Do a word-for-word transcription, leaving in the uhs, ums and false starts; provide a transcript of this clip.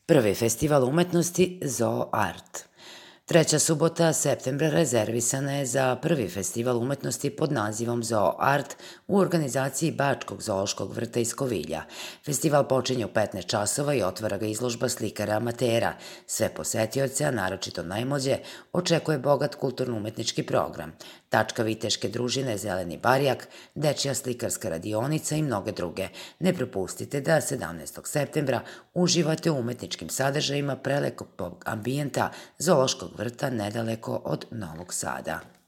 Prvi festival umetnosti Zoo Art. Treća subota septembra rezervisana je za prvi festival umetnosti pod nazivom Zoo Art u organizaciji Bačkog zoološkog vrta iz Kovilja. Festival počinje u petnaest časova i otvara ga izložba slikara amatera. Sve posetioce, a naročito najmlađe, očekuje bogat kulturno-umetnički program. Tačka viteške družine Zeleni barjak, dečja slikarska radionica i mnoge druge. Ne propustite da sedamnaestog septembra uživate u umetničkim sadržajima prelekog ambijenta zoološkog vrta nedaleko od Novog Sada.